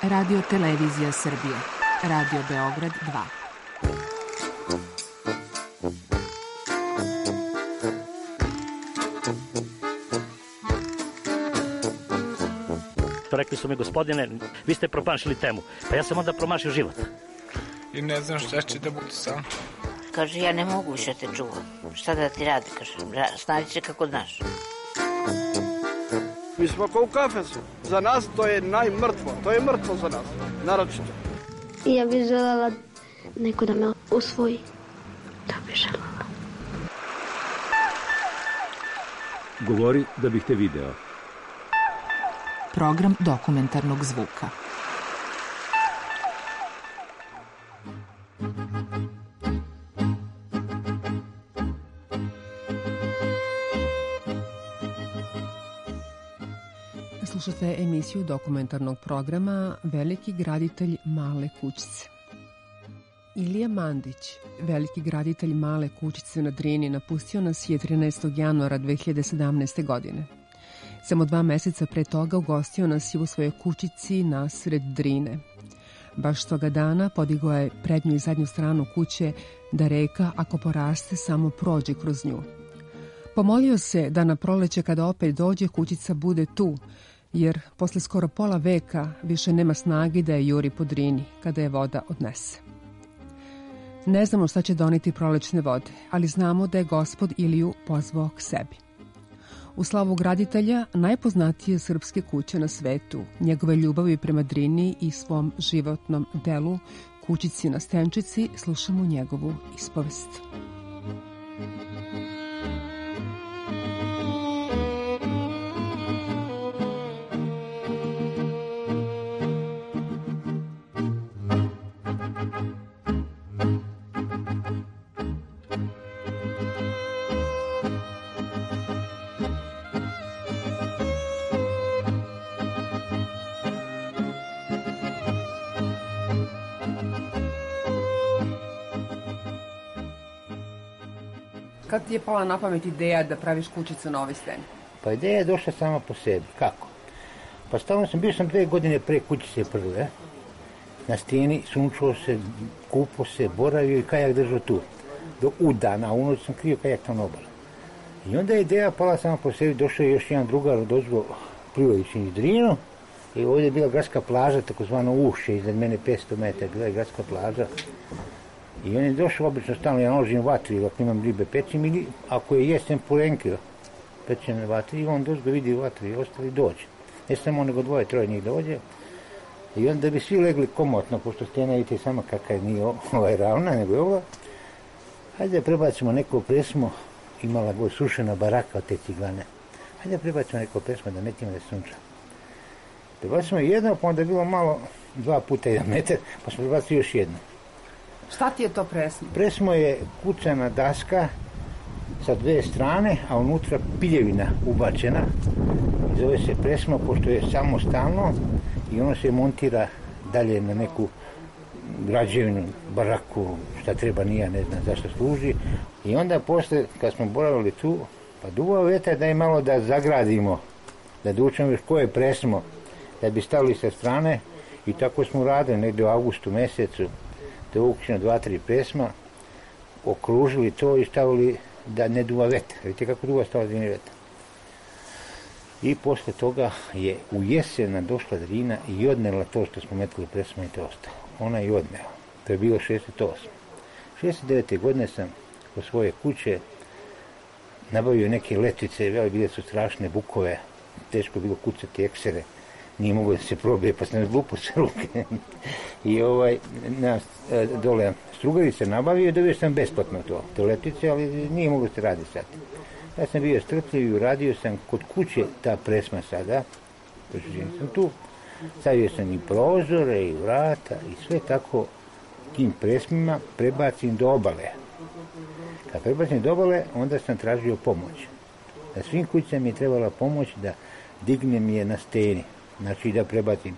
Radio Televizija Srbije. Radio Beograd 2. Rekli su mi, gospodine, vi ste promašili temu. Pa ja sam onda promašio život. I ne znam šta će da bude sam. Kaže, ja ne mogu više te čuvam. Šta da ti radi, kaže, snađi se kako znaš. Mi smo kao u kafesu. Za nas to je najmrtvo. To je mrtvo za nas, naročito. Ja bih želela neko da me usvoji. Da bih želela. Govori da bih te video. Program dokumentarnog zvuka. Slušate emisiju dokumentarnog programa Veliki graditelj male kućice. Ilija Mandić, veliki graditelj male kućice na Drini, napustio nas je 13. januara 2017. godine. Samo 2 meseca pre toga ugostio nas je u svojoj kućici nasred Drine. Baš toga dana podigao je prednju i zadnju stranu kuće da reka, ako poraste, samo prođe kroz nju. Pomolio se da na proleće kada opet dođe kućica bude tu, jer posle skoro pola veka više nema snage da je juri po Drini kada je voda odnese. Ne znamo šta će doneti prolećne vode, ali znamo da je Gospod Iliju pozvao k sebi. U slavu graditelja najpoznatije srpske kuće na svetu, njegove ljubavi prema Drini i svom životnom delu, kućici na Stenčici, slušamo njegovu ispovest. Kad ti je pala na pamet ideja da praviš kućicu na ovoj steni? Pa ideja je došla sama po sebi. Kako? Pa stalno bio sam 2 godine pre kućice prve. Na steni, sunčao se, kupao se, boravio i kajak držao tu. Do udana, a u noć sam krio kajak tamo na obali. I onda je ideja pala sama po sebi, došao je još jedan drugar odozgo plivajući iz Drinu. I ovdje je bila gradska plaža, takozvano Ušće, iznad mene 500 metara, bila je gradska plaža. I on je došao obično stalno, ja naložim vatri, ako imam ribe pečim, ili ako je jesem purenkio pečem na vatri, i on došao vidi vatri i ostali dođe. Ne samo nego 2-3 njih dođe. I onda bi svi legli komotno, pošto stena vidite sama kakva nije ravna, nego je ova. Hajde da prebacimo neko presmo, imala god sušena baraka od te ciglane. Hajde da prebacimo neko presmo da metimo da sunča. Prebacimo jedno, pa onda je bilo malo 2 puta 1 metar, pa smo prebacili još jedno. Šta ti je to presmo? Presmo je kucana daska sa 2 strane, a unutra piljevina ubačena. Zove se presmo, pošto je samostalno i ono se montira dalje na neku građevinu, baraku, šta treba, nije, ne znam zašto služi. I onda posle, kad smo boravili tu, pa duvao vetar da je malo da zagradimo, da dučemo još koje presmo, da bi stavili sa strane. I tako smo radili negdje u avgustu mesecu. To je ukupno 2-3 presma, okružili to i stavili da ne duva vetar. Vidite kako duva stava Drini vetar. I posle toga je u jesena došla Drina i odnela to što smo metili presma i to ostalo. Ona je odnela. To je bilo 68. 69. godine sam kod svoje kuće nabavio neke letvice, bile su strašne bukove, teško je bilo kucati eksere. Nije mogo da se probije, pa sam zlupo sa ruke. I dole strugarice nabavio i dobio sam besplatno to letvice, ali nije mogo da se radi sad. Ja sam bio strpljiv i uradio sam kod kuće ta presma sada, sam tu, stavio sam i prozore i vrata i sve tako tim presmima prebacim do obale. Kad prebacim do obale, onda sam tražio pomoć. Na svim kućama mi je trebala pomoć da dignem je na steni. Znači da prebacim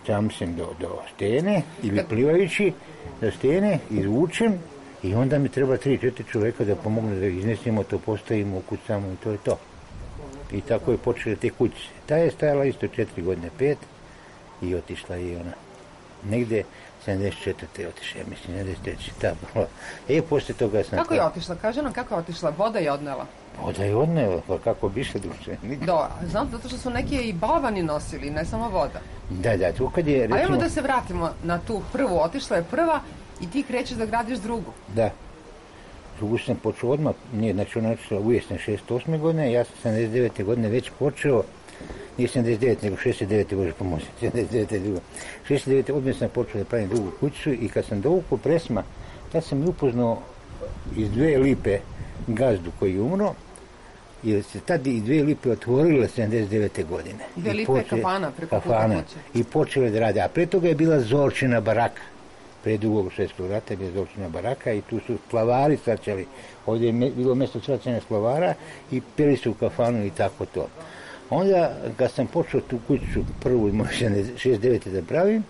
čamcem do stene ili plivajući do stene, izvučem i onda mi treba 3-4 čovjeka da pomogne da iznesemo to, postavimo, ukucamo i to je to. I tako je počela te kućice. Ta je stajala isto 4 godine, 5 i otišla i ona. Negde 74. otišla, ja mislim, 73. ta bila. Poslije toga sam... Kako je otišla? Kaže nam kako je otišla? Voda je odnela. Voda je odnela, pa kako bi se duše. Znam, zato što su neki i balvani nosili, ne samo voda. Da, tu kad je, recimo... A evo da se vratimo na tu prvu. Otišla je prva i ti krećeš da gradiš drugu. Da. Drugu sam počeo odmah, znači ona otišla u jesen 68. godine, ja sam 79. godine već počeo, nije 79, nego 69. Bože pomoći, 79. drugo. 69. odmah sam počeo da pravim drugu kućicu i kad sam dovukao presma, tad sam upoznao iz 2 lipe gazdu koji je umro, jer se tad i 2 lipe otvorile 79. godine. 2 lipe kafana preko puta kuće. I počele da rade, a pre toga je bila Zorčina baraka. Pre drugog svjetskog rata je bila Zorčina baraka i tu su splavari svačali. Ovdje je bilo mjesto svačanja splavara i pili su u kafanu i tako to. Onda, kad sam počeo tu kuću prvu, 69. da pravim,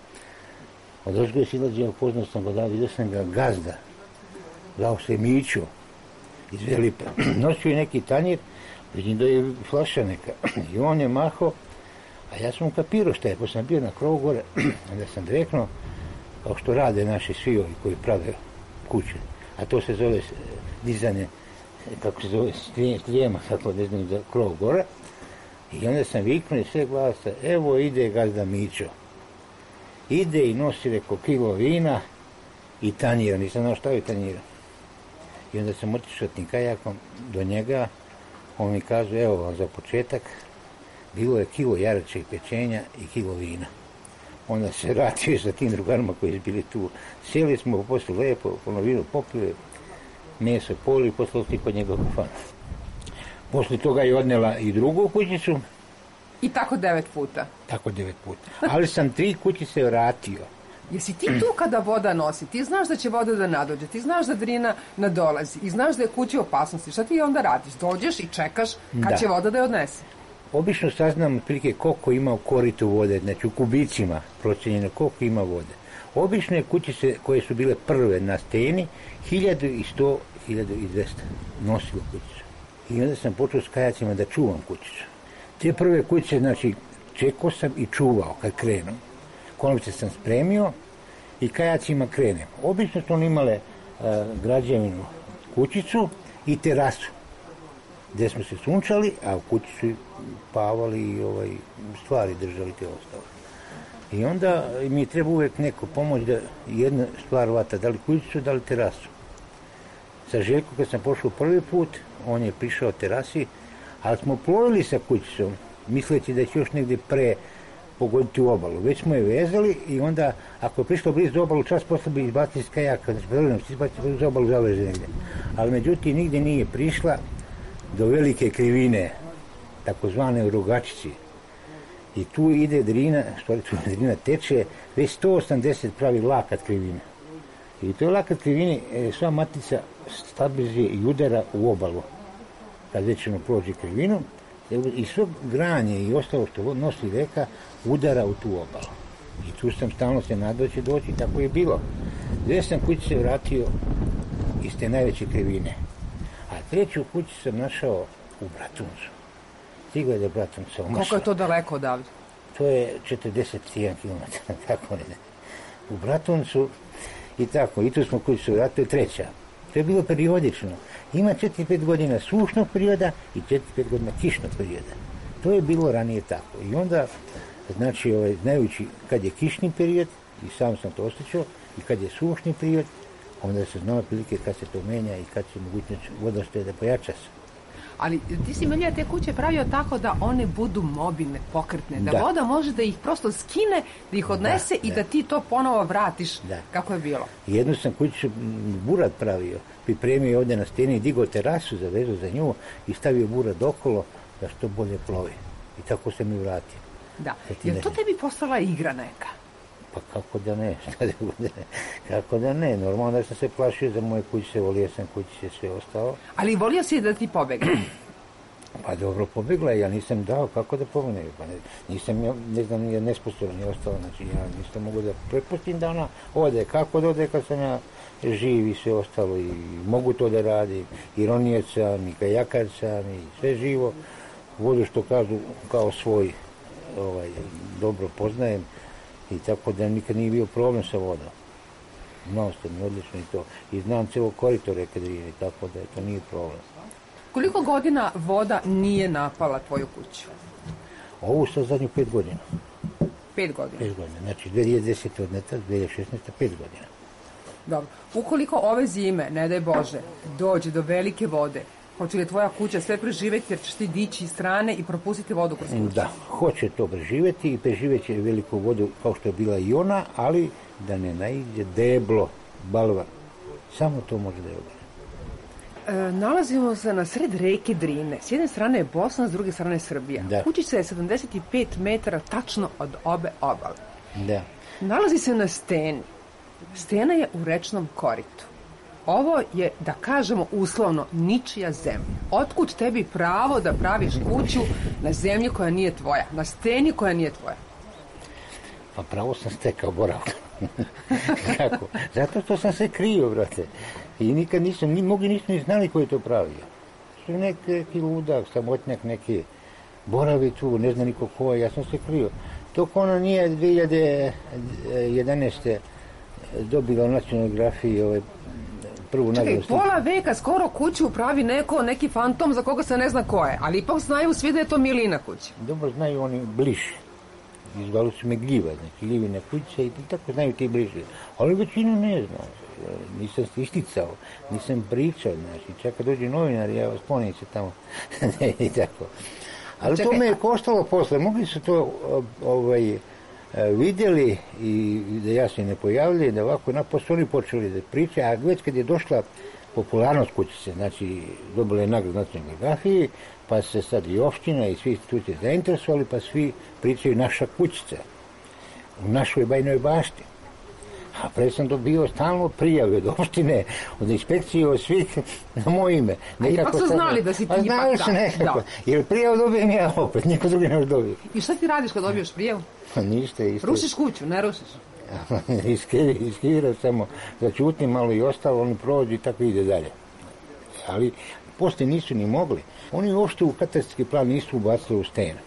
od ozgo je silađe, upoznao sam ga da, vidio sam ga gazda. Zvao se Mićo iz 2 lipe. Nosio je neki tanjir, vidim da je flaša neka. I on je mahao, a ja sam ukapirao šta je, pa sam bio na krovu gore, onda sam rekao, kao što rade naši svi ovi koji prave kuće, a to se zove dizanje, kako se zove, strijema, kako ne znam, za krov gore. I onda sam viknuo i sve glasa, evo ide gazda Mićo. Ide i nosi reko kilo vina i tanjira, nisam znao šta je tanjira. I onda sam otišao tim kajakom do njega, on mi kaže, evo vam za početak, bilo je kilo jarače i pečenja i kilo vina. Onda se vratio sa tim drugarima koji su bili tu. Sjeli smo poslije lepo, vino popili, meso poli i poslije otišli kod njega kafana. Poslije toga je odnela i drugu kućicu. I tako 9 puta? Tako 9 puta. Ali sam 3 kućice vratio. Jesi ti tu kada voda nosi? Ti znaš da će voda da nadođe, ti znaš da drina nadolazi i znaš da je kući opasnosti. Šta ti onda radiš? Dođeš i čekaš kad će voda da je odnese? Obično saznam otprilike koliko ima u koritu vode, znači u kubicima procenjeno koliko ima vode. Obično je kućice koje su bile prve na steni, 1100, 1200 nosilo kućicu. I onda sam počeo s kajacima da čuvam kućicu. Te prve kućice, znači, čekao sam i čuvao kad krenem. Konovice sam spremio i kajacima krenem. Obično su oni imale građevinu kućicu i terasu, gdje smo se sunčali, a u kući su pavali i stvari držali te ostale. I onda mi treba uvijek neko pomoć da jedna stvar vata, da li kućicu, da li terasu. Sa Željkom kad sam pošao prvi put, on je prišao terasi, ali smo plovili sa kućicom, misleći da će još negdje pre pogoditi u obalu. Već smo je vezali i onda, ako je prišlo blizu obalu, čas posle bi izbacili iz kajaka, izbacili uz obalu zaveze negdje. Ali međutim, nigdje nije prišla do velike krivine, takozvane u Rogačici. I tu ide drina, stvari tu drina teče, već 180 pravi lakat krivine. I to je lakat krivine, sva matica stabilizuje i udara u obalu. Kad već ono prođe krivinu, i sve granje i ostalo što nosi reka udara u tu obalu. I tu sam stalno se nadao će doći, tako je bilo. Dve sam kući se vratio iz te najveće krivine. A treću kuću sam našao u Bratuncu. Stigao je do Bratunca. Koliko je to daleko odavde? To je 41 km, tako ne. U Bratuncu i tako. I tu smo kuću se vratili, treća. To je bilo periodično. Ima 4-5 godina sušnog perioda i 4-5 godina kišnog perioda. To je bilo ranije tako. I onda, znači, znajući kad je kišni period, i sam sam to osjećao, i kad je sušni period, onda se znala prilike kad se to menja i kad se mogućnost vodostaje da pojača se. Ali ti si Milija te kuće pravio tako da one budu mobilne, pokretne, da voda može da ih prosto skine, da ih odnese i da ti to ponovo vratiš kako je bilo. Jednu sam kuću burad pravio, pripremio ovdje na steni, digao terasu za vezu za nju i stavio burad okolo da što bolje plovi. I tako se mi vratio. Da, jer to tebi postala igra neka? Pa kako da ne, kako da ne, normalno da sam se plašio za moje kuće, volio sam kuće, sve ostalo. Ali volio si da ti pobegne? Pa dobro, pobegla je, ja nisam dao, kako da pobegne, pa nisam, ne znam, nije nesposoban je ostalo, znači ja nisam mogu da prepustim da ona ode, kako da ode kad sam ja živ i sve ostalo i mogu to da radi, i ronijec sam, i kajakar sam, i sve živo, vodu što kažu kao svoj, dobro poznajem. I tako da nikad nije bio problem sa vodom. Znao ste mi odlično i to. I znam celo korito reke Drine, tako da to nije problem. Koliko godina voda nije napala tvoju kuću? Ovu sa zadnju 5 godina. 5 godina? 5 godina. Znači 2010. odneta, 2016. 5 godina. Dobro. Ukoliko ove zime, ne daj Bože, dođe do velike vode, hoće li tvoja kuća sve preživeti jer ćeš ti dići iz strane i propustiti vodu kroz kuću? Da, hoće to preživeti i preživeće veliku vodu kao što je bila i ona, ali da ne naiđe deblo, balvan. Samo to može da je odane. Nalazimo se na sred reke Drine. S jedne strane je Bosna, s druge strane je Srbija. Da. Kućica je 75 metara tačno od obe obale. Da. Nalazi se na steni. Stena je u rečnom koritu. Ovo je, da kažemo uslovno, ničija zemlja. Otkud tebi pravo da praviš kuću na zemlji koja nije tvoja, na steni koja nije tvoja? Pa pravo sam stekao boravka. Kako? Zato što sam se krio, brate. I nikad nisam, mnogi nisu ni znali ko je to pravio. Što neki ludak, samotnjak, neki boravi tu, ne zna niko ko je, ja sam se krio. Dok ona nije 2011. dobila u nacionalnoj grafiji prvu nagradu. Čekaj, pola veka skoro kuću pravi neki fantom za koga se ne zna ko je, ali ipak znaju svi da je to Milina kuća. Dobro znaju oni bliži. Izvali su me Gljiva, znači Gljivine kuće i tako znaju ti bliži. Ali većinu ne znam. Nisam isticao, nisam pričao, znači čak kad dođe novinar, ja vas ponim se tamo i tako. Ali čekaj, to me je koštalo posle, mogli su to vidjeli i da ja se ne pojavili, da ovako posle oni počeli da pričaju, a već kad je došla popularnost kućice, znači dobila je nagradu nacionalne grafije, pa se sad i opština i svi institucije zainteresovali, pa svi pričaju naša kućica u našoj Bajinoj Bašti. A pre sam dobio stalno prijave od opštine, od inspekcije, od svih na moje ime. A ipak su znali da si ti ipak znali su nekako, jer prijavu dobijem ja opet, niko drugi ne dobije. I šta ti radiš kad dobiješ prijavu? Ništa, isto. Rušiš kuću, ne rušiš? Iskiram samo, začutim malo i ostalo, oni prođu i tako ide dalje. Ali poslije nisu ni mogli. Oni uopšte u katastarski plan nisu ubacili u stenu.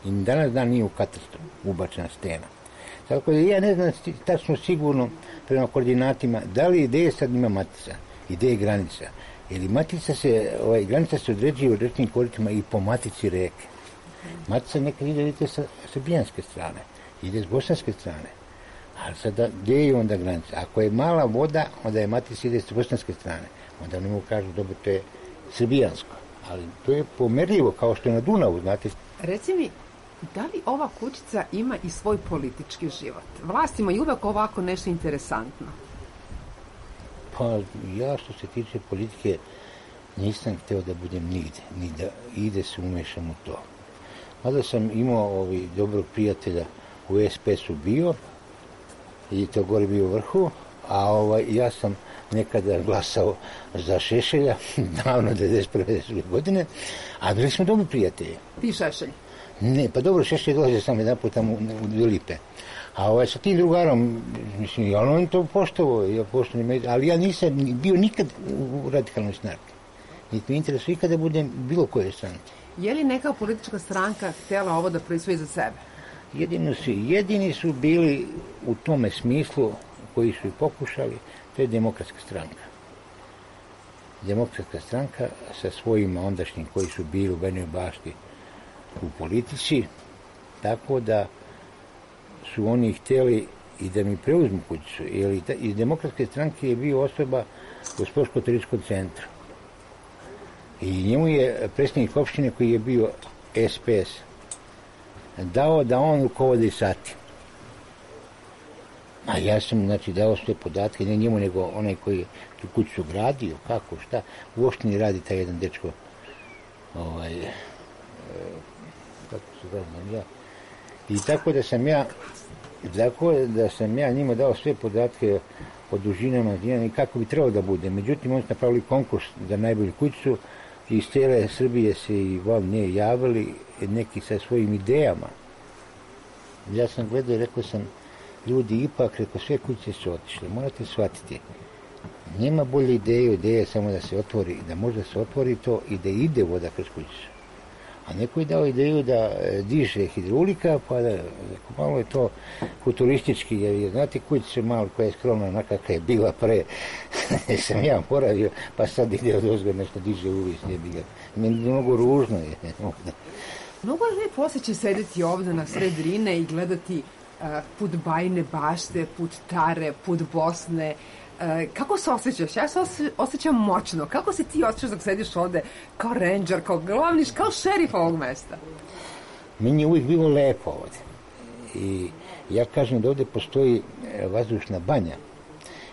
I danas dan nije u katastru ubačena stena. Tako da ja ne znam tačno sigurno prema koordinatima da li gde je sad ima matica i gde je granica. Jer matica granica se određuje u rečnim koritima i po matici reke. Matica nekad ide, vidite, sa srbijanske strane, ide s bosanske strane. Ali sada, gdje je onda granica? Ako je mala voda, onda je matica ide s bosanske strane. Onda oni mu kažu, dobro, to je srbijansko. Ali to je pomerljivo, kao što je na Dunavu, znate. Reci mi, da li ova kućica ima i svoj politički život? Vlastima je uvek ovako nešto interesantno. Pa ja što se tiče politike nisam hteo da budem nigde, ni da ide se umešam u to. Mada sam imao dobrog prijatelja u SPS-u bio i to gore bio u vrhu, a ja sam nekada glasao za Šešelja, davno 1991. godine, a bili smo dobri prijatelji. Ti Šešelj? Ne, pa dobro, Šešelj dolaze sam jedan put tamo u Dve Lipe. A sa tim drugarom, mislim, ja on to poštovao, ali ja nisam bio nikad u radikalnoj snarki. Niti mi interesuje ikada da budem bilo koje stranke. Je li neka politička stranka htjela ovo da proizvodi za sebe? Jedini su bili u tome smislu koji su i pokušali, to je Demokratska stranka. Demokratska stranka sa svojima ondašnjim koji su bili u Bajinoj Bašti u politici, tako da su oni htjeli i da mi preuzmu kućicu. Jer iz Demokratske stranke je bio osoba u Sportsko-turističkom centru. I njemu je predsjednik opštine koji je bio SPS dao da on rukovodi sati. A ja sam, dao sve podatke, ne njemu, nego onaj koji je tu kuću gradio, kako, šta. U opštini radi taj jedan dečko, kako se zove, ja. I tako da sam ja njima dao sve podatke o dužinama i kako bi trebalo da bude. Međutim, oni su napravili konkurs za najbolju kućicu i iz cijele Srbije se i van nje javili neki sa svojim idejama. Ja sam gledao i rekao sam, ljudi, ipak, sve kuće su otišle, morate shvatiti. Nema bolje ideje je samo da se otvori, da možda se otvori to i da ide voda kroz kućicu. A neko je dao ideju da diže hidrolika, pa da malo je to futuristički, jer znate kućica malo koja je skromna, onakakva je bila pre, sam ja boravio, pa sad ide od ozgo nešto diže uvis, mnogo ružno je. Mnogo je lijepo osjećaj sedeti ovdje na sred Drine i gledati put Bajine Bašte, put Tare, put Bosne. Kako se osjećaš? Ja se osjećam moćno. Kako se ti osjećaš dok sediš ovde kao ranger, kao glavniš, kao šerif ovog mesta? Meni je uvijek bilo lepo ovdje. I ja kažem da ovdje postoji vazdušna banja.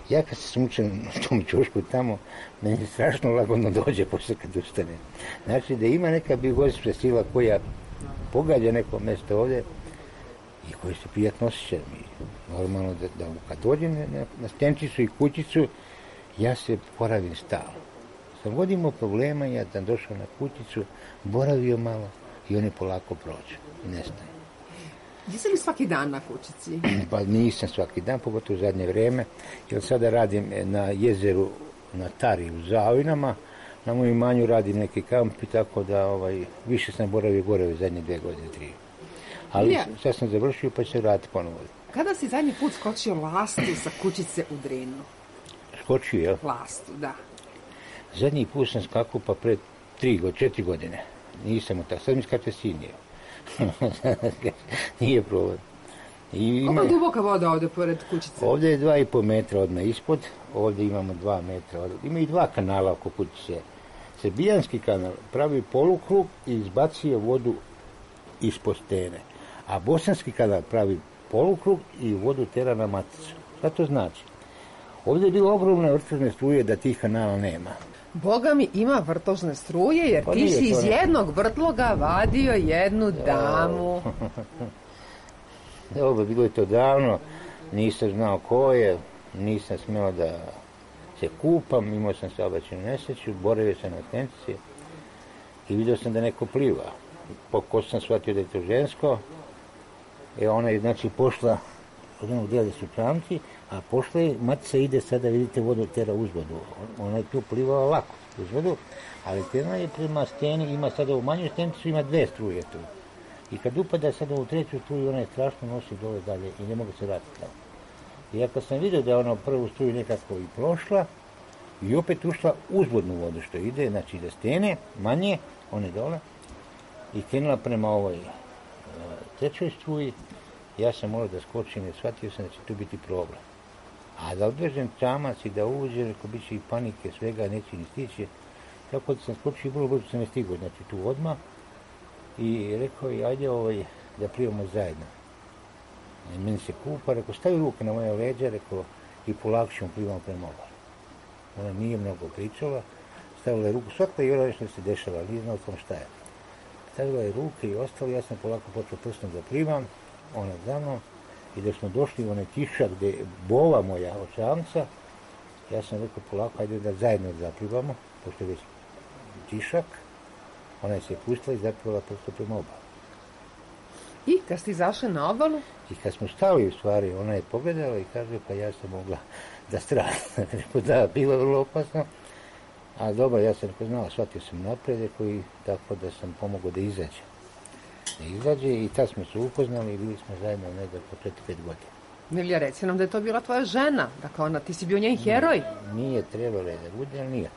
Ja kad se smučem u tom ćošku tamo, meni strašno lagodno dođe posle kad ustane. Znači da ima neka biogospća sila koja pogađa neko mjesto ovdje i koji se prijatno osjećam. Normalno da kad dođem na stenčicu i kućicu, ja se boravim stalno. Sam god imao problema, ja sam došao na kućicu, boravio malo i oni polako prođu i nestane. Jesi li svaki dan na kućici? Pa nisam svaki dan, pogotovo u zadnje vrijeme, jer sada radim na jezeru na Tari u Zavinama, na mojem imanju radim neki kamp i tako da više sam boravio gore u zadnje 2 godine, 3. Ali sad sam završio pa ću se vratiti ponovo. Kada si zadnji put skočio lastu sa kućice u Drinu? Skočio, jel? Lastu, da. Zadnji put sam skakao pa pred 4 godine. Nisam u tako. Sad mi skače sinije. Nije problem. Koliko je duboka voda ovdje pored kućice? Ovdje je 2,5 metra odmah ispod. Ovdje imamo 2 metra. Ima i 2 kanala oko kućice. Srbijanski kanal pravi polukrug i izbacuje vodu ispod stene. A bosanski kanal pravi polukrug i vodu tera na maticu. Šta to znači? Ovdje je bilo ogromne vrtožne struje da tih kanala nema. Boga mi ima vrtožne struje jer ti si iz jednog vrtloga vadio jednu damu. Dobro, bilo je to davno, nisam znao ko je, nisam smjela da se kupam, imao sam saobraćajnu nesreću, boravio sam na stenici i vidio sam da neko pliva. Pošto sam shvatio da je to žensko, ona je znači pošla od onog dijela su čamci, a pošla je, matica ide sada, vidite, vodu tera uzvodu. Ona je tu plivala lako uzvodu, ali tena je prema steni, ima sada u manju stenicu, ima 2 struje tu. I kad upada sada u 3. struju, ona je strašno nosi dole dalje i ne mogu se vratiti tamo. I ja kad sam vidio da je ona u prvu struju nekako i prošla, i opet ušla uzvodnu vodu što ide, znači ide stene, manje, one dole, i krenula prema ovoj 3. struji, ja sam morao da skočim jer shvatio sam da će tu biti problem. A da odvežem čamac i da uđem, rekao bit će i panike, svega, neće ni stići. Tako da sam skočio i vrlo brzo sam ne stigao, znači tu odmah. I rekao je, ajde da plivamo zajedno. I meni se kupa, rekao, stavi ruke na moje leđa, rekao, i polako ćemo plivamo prema obali. Ona nije mnogo pričala, stavila je ruku, shvatila je nešto se dešava, ali nije znao tom šta je. Stavila je ruke i ostalo, ja sam polako počeo prstom da plivam, ona za mnom, i da smo došli u onaj kišak gdje je bova moja od čamca, ja sam rekao polako, ajde da zajedno zaplivamo, pošto je već kišak, ona je se pustila i zaplivala prosto prema obalu. I kad ste izašli na obalu? I kad smo stali u stvari, ona je pogledala i kaže, pa ja sam mogla da stradam. Da, bilo vrlo opasno. A dobro, ja sam znala, shvatio sam napred i tako da sam pomogao da izađe. I tad smo se upoznali i bili smo zajedno negdje po 4-5 godina. Milija, reci nam da je to bila tvoja žena. Dakle, ti si bio njen heroj. Nije trebalo da bude, ali nije.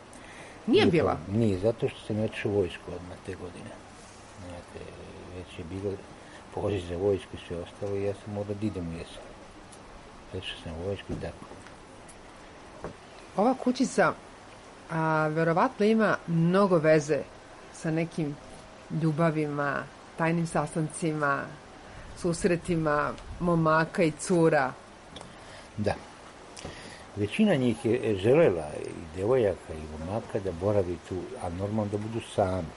Nije bila? Nije, zato što sam otišao u vojsku odmah te godine. Znate, već je bilo poziv za vojsku i sve ostalo i ja sam morao da idem u jesen. Otišao sam u vojsku i tako. Ova kućica verovatno ima mnogo veze sa nekim ljubavima, tajnim sastancima, susretima momaka i cura. Da. Većina njih je želela i devojaka i momaka da boravi tu, a normalno da budu sami.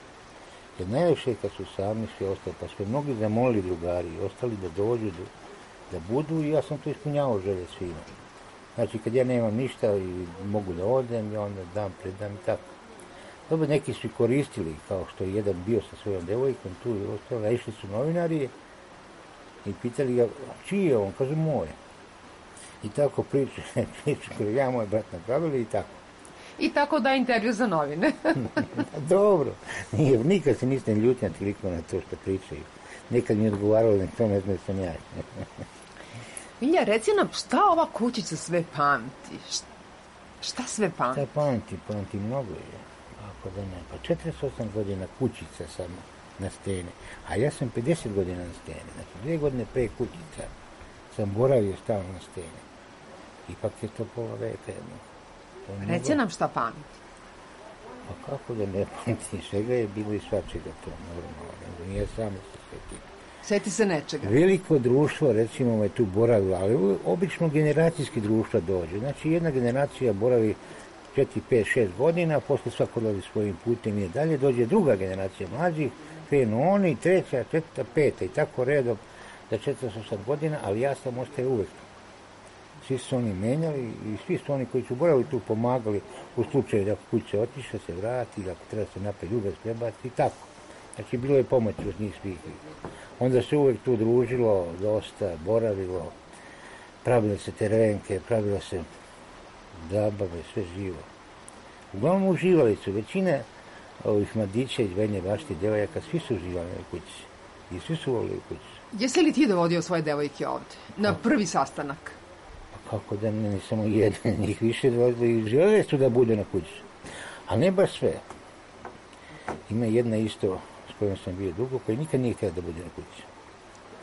Jer najviše kad su sami svi ostali, pa su mnogi zamolili drugari i ostali da dođu, da budu i ja sam to ispunjavao želje svima. Znači kad ja nemam ništa i mogu da odem, ja onda predam i tako. Dobro, neki su i koristili, kao što je jedan bio sa svojom devojkom tu i ostalo, a išli su novinari i pitali ga, čiji je on? Kaže, moj. I tako priču koju ja moj brat napravili i tako. I tako da intervju za novine. Dobro, nikad se nisam ljutnja toliko na to što pričaju. Nekad mi je odgovaralo da to ne znam da sam ja. Milja, reci nam šta ova kućica sve pamti? Šta sve pamti? Šta pamti mnogo je. Ako da ne, pa 48 godina kućica sam na steni, a ja sam 50 godina na steni. Znači 2 godine pre kućica sam boravio stalno na steni. Ipak je to pola veka jedno. Reci nam šta pamti. Pa kako da ne pamti, svega je bilo i svačega to normalno, nije samo se sveti. Sjeti se nečega. Veliko društvo, recimo, je tu boravilo, ali obično generacijski društva dođe. Znači, jedna generacija boravi 4, 5, 6 godina, posle svako dolazi svojim putem i dalje, dođe druga generacija mlađih, krenu oni, treća, četvrta, peta i tako redom za 48 godina, ali ja sam ostaje uvek. Svi su oni menjali i svi su oni koji su boravili tu pomagali u slučaju da kuće otiše, se vrati, ako treba se napred ljubav prebaci i tako. Znači, bilo je pomoći od njih svih. Onda se uvek tu družilo, dosta, boravilo, pravile se terenke, pravilo se zabave, sve živo. Uglavnom uživali su, većina ovih mladića iz Bajine Bašte, devojaka, svi su uživali u kući. I svi su volili u kući. Jesi li ti dovodio svoje devojke ovde? Na prvi sastanak? Pa kako da ne samo jedan, njih više dovodili i žele su da bude na kući. Ali ne baš sve. Ima jedna isto s kojom sam bio dugo, koja nikad nije htjela da bude na kući.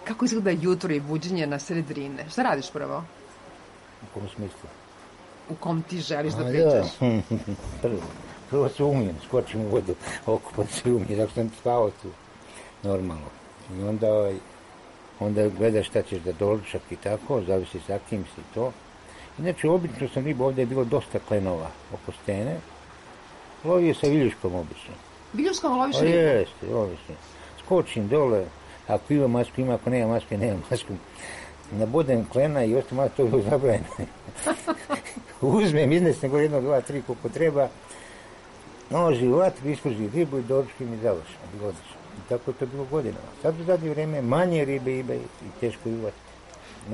Kako izgleda jutro i buđenje na sred Drine? Šta radiš prvo? U kom smislu? U kom ti želiš da pričaš? Prvo se umijem, skočim u vodu, okupam se umijem, tako sam spavao tu, normalno. I onda gledaš šta ćeš da doručak i tako, zavisi sa kim si to. Inače, obično sam riba, ovdje je bilo dosta klenova oko stene. Lovio sa viljuškom obično. Viljuškom loviš ribu? Jeste, obično. Skočim dole, ako ima masku, ima, ako nema maske, nema masku. Nabodem klena i ostalo to je bilo zabranjeno. Uzmem, iznesem go 1, 2, 3 koliko treba. Noži u vatru, ispruži ribu i doručkim i završim. Bilo odlično. I tako je to bilo godinama. Sad u zadnje vreme manje ribe ima i teško i uvati.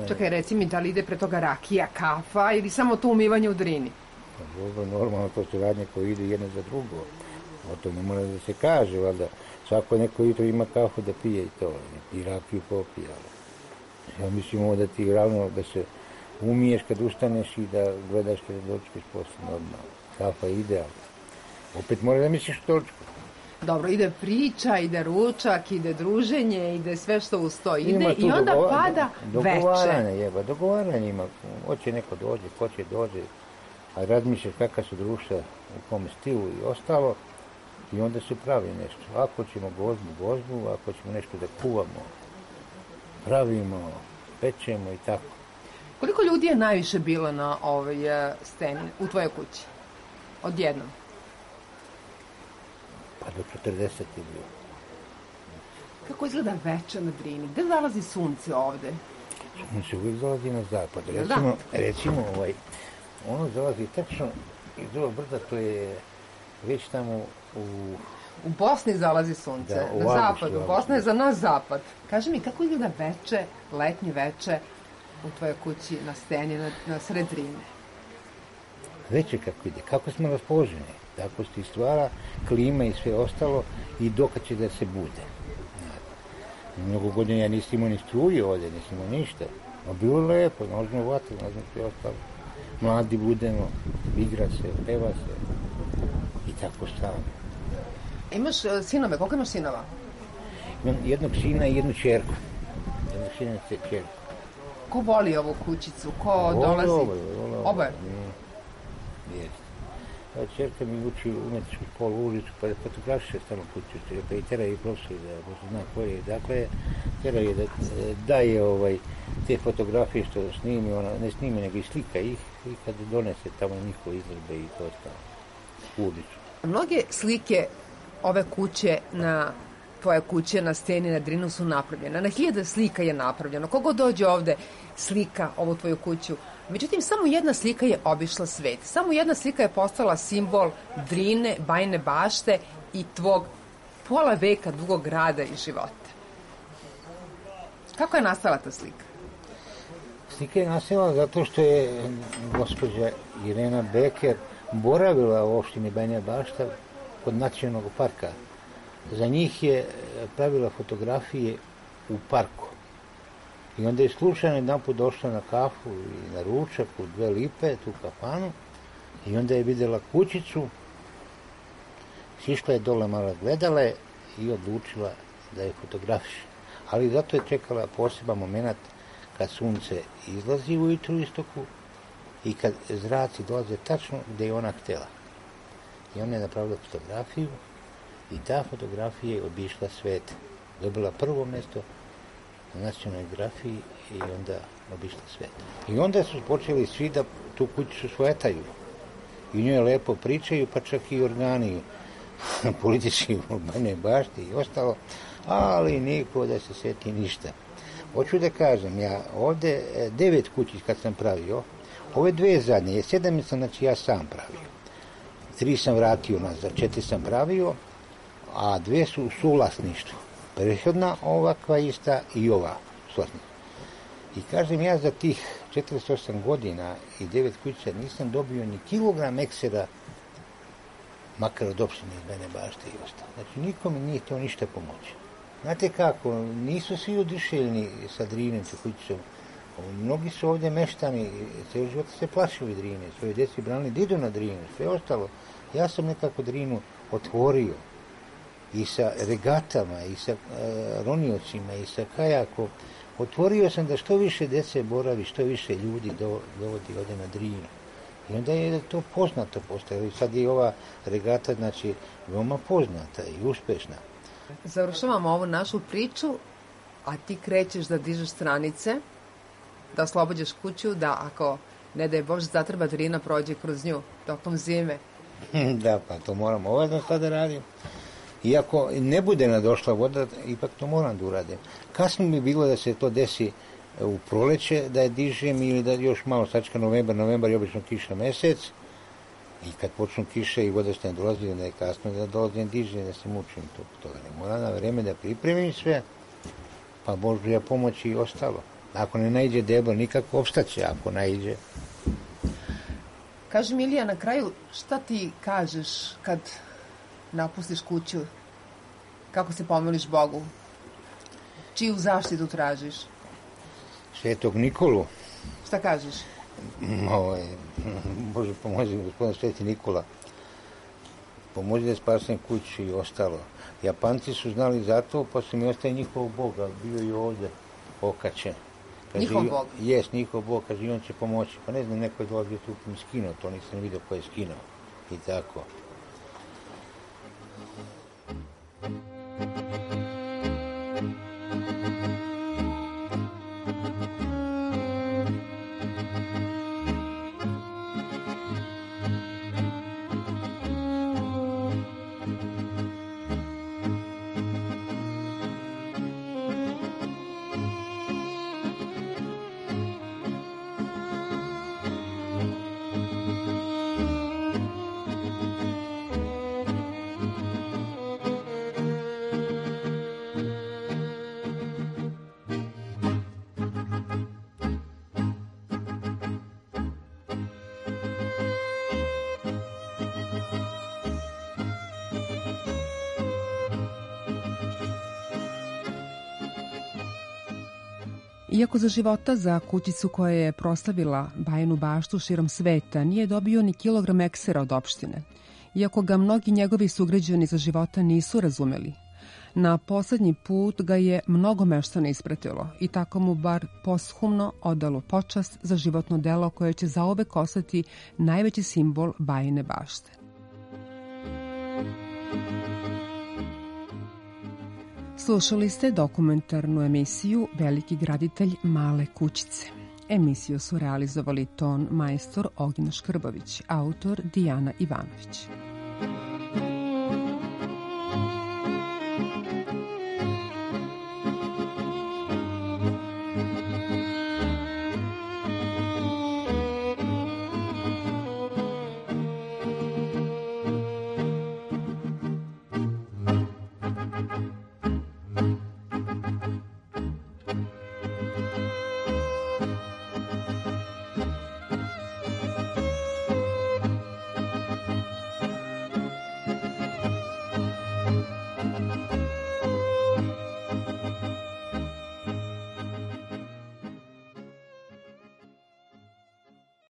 Čekaj, reci mi, da li ide pre toga rakija, kafa ili samo to umivanje u Drini? Pa dobro, normalno, to su radnje koje ide jedno za drugo. O to ne mora da se kaže, valjda. Svako neko jutro ima kafu da pije i to. I rakiju popije. Ja mislim ovo da ti ravno da se umiješ kad ustaneš i da gledaš kada dočkeš posle normalno. Kafa je idealna. Opet mora da misliš o točku. Dobro, ide priča, ide ručak, ide druženje, ide sve što uz to ide i onda pada veče. Dogovaranje ima. Hoće neko dođe, ko će dođe, a razmišljaš kakva su društva, u kom stilu i ostalo i onda se pravi nešto. Ako ćemo gozbu, ako ćemo nešto da kuvamo, pravimo, pečemo i tako. Koliko ljudi je najviše bilo na ovoj steni u tvojoj kući? Odjednom? Pa do 40 je bilo. Kako izgleda veče na Drini? Gde zalazi sunce ovde? Sunce uvijek zalazi na zapad. Recimo, ono zalazi tačno iz ovog brda, to je već tamo U Bosni zalazi sunce, da, na zapadu. Bosna je za nas zapad. Kaži mi, kako izgleda veče, letnje veče u tvojoj kući na steni, na sred Drine? Veče kako ide, kako smo raspoloženi. Tako se stvara klima i sve ostalo i dokad će da se bude. Mnogo godina ja nisam imao ni struje ovdje, nisam imao ništa. No bilo je lepo, možemo vatru, možemo sve ostalo. Mladi budemo, igra se, peva se i tako stavno. Imaš sinove, koliko imaš sinova? Imam jednog sina i jednu čerku. Ko voli ovu kućicu? Ko dolazi? Oboje? Jeste. Čerka mi uči umetničku školu, ulicu, pa da fotografiše stalno kuću, pa i tera i profesor, da zna ko je. Dakle, tera je da daje te fotografije što snimi, ona ne snimi, nego i slika ih i kad donese tamo njihove izložbe i to ostalo. Ulicu. Mnoge slike ove kuće tvoje kuće na steni na Drinu su napravljene. Na 1000 slika je napravljeno. Kogo dođe ovde slika ovu tvoju kuću. Međutim, samo jedna slika je obišla svet. Samo jedna slika je postala simbol Drine, Bajine Bašte i tvog pola veka dugog rada i života. Kako je nastala ta slika? Slika je nastala zato što je gospođa Irena Beker boravila u opštini Banja Bašta kod nacionalnog parka. Za njih je pravila fotografije u parku. I onda je slučajno jedan put došla na kafu i na ručak u 2 lipe, tu kafanu, i onda je vidjela kućicu, sišla je dole, malo gledala je i odlučila da je fotografiše. Ali zato je čekala poseban moment kad sunce izlazi ujutru u istoku i kad zraci dolaze tačno gdje je ona htjela. I ona je napravila fotografiju i ta fotografija je obišla svet. Dobila prvo mjesto na nacionalnoj grafiji i onda obišla svet. I onda su počeli svi da tu kućicu svetaju. I u njoj lepo pričaju, pa čak i organi politički u Banjoj Bašti i ostalo, ali niko da se sjeti ništa. Hoću da kažem, ja ovdje 9 kući kad sam pravio, ove 2 zadnje, 7 sam, znači ja sam pravio. 3 sam vratio nazad, 4 sam pravio, a 2 su u suvlasništvu. Prethodna, ovakva ista i ova suvlasništva. I kažem, ja za tih 48 godina i 9 kuća nisam dobio ni kilogram eksera, makar od opštine iz Banja Bašte i ostalo. Znači, nikome nije htio ništa pomoći. Znate kako, nisu svi odišeljni sa Drinem, sa kućicom. Mnogi su ovdje meštani, cijel život se plašili Drine, svoje djeci branili da idu na Drinu, sve ostalo. Ja sam nekako Drinu otvorio i sa regatama, i sa roniocima, i sa kajakom. Otvorio sam da što više djece boravi, što više ljudi dovodi ovdje na Drinu. I onda je to poznato postalo. I sad je ova regata, znači, veoma poznata i uspešna. Završavamo ovu našu priču, a ti krećeš da dižeš stranice, da oslobađaš kuću, da ako, ne daj Bože, zatreba Drina prođe kroz nju tokom zime. Da, pa to moram ovedno sad da radim. Iako ne bude nadošla voda, ipak to moram da uradim. Kasno bi bilo da se to desi u proleće, da je dižem ili da još malo sačka novembar je obično kiša mesec. I kad počnu kiše i voda se ne dolazi, onda je kasno da dolazim dižem, da se mučim toga. Ne moram na vreme da pripremim sve, pa Božja pomoć i ostalo. Ako ne naiđe deblo, nikako opstaće, ako naiđe. Kaži Milija, na kraju, šta ti kažeš kad napustiš kuću? Kako se pomoliš Bogu? Čiju zaštitu tražiš? Svetog Nikolu. Šta kažeš? Bože pomozi, gospodin Sveti Nikola. Pomozi da spasem kuću i ostalo. Japanci su znali za to, pa su mi ostaje njihov Bog, ali bio je ovdje okačen. Njihov Bog? Jes, njihov Bog, kaže, on će pomoći. Pa ne znam, neko je dolazio tu mi skinuo, to nisam vidio ko je skinuo. I tako. Iako za života za kućicu koja je proslavila Bajinu Baštu širom sveta nije dobio ni kilogram eksera od opštine, iako ga mnogi njegovi sugrađani za života nisu razumeli, na poslednji put ga je mnogo meštana ispratilo i tako mu bar posthumno odalo počast za životno delo koje će zauvek ostati najveći simbol Bajine Bašte. Slušali ste dokumentarnu emisiju Veliki graditelj male kućice. Emisiju su realizovali ton majstor Ognjen Škrbović, autor Dijana Ivanović.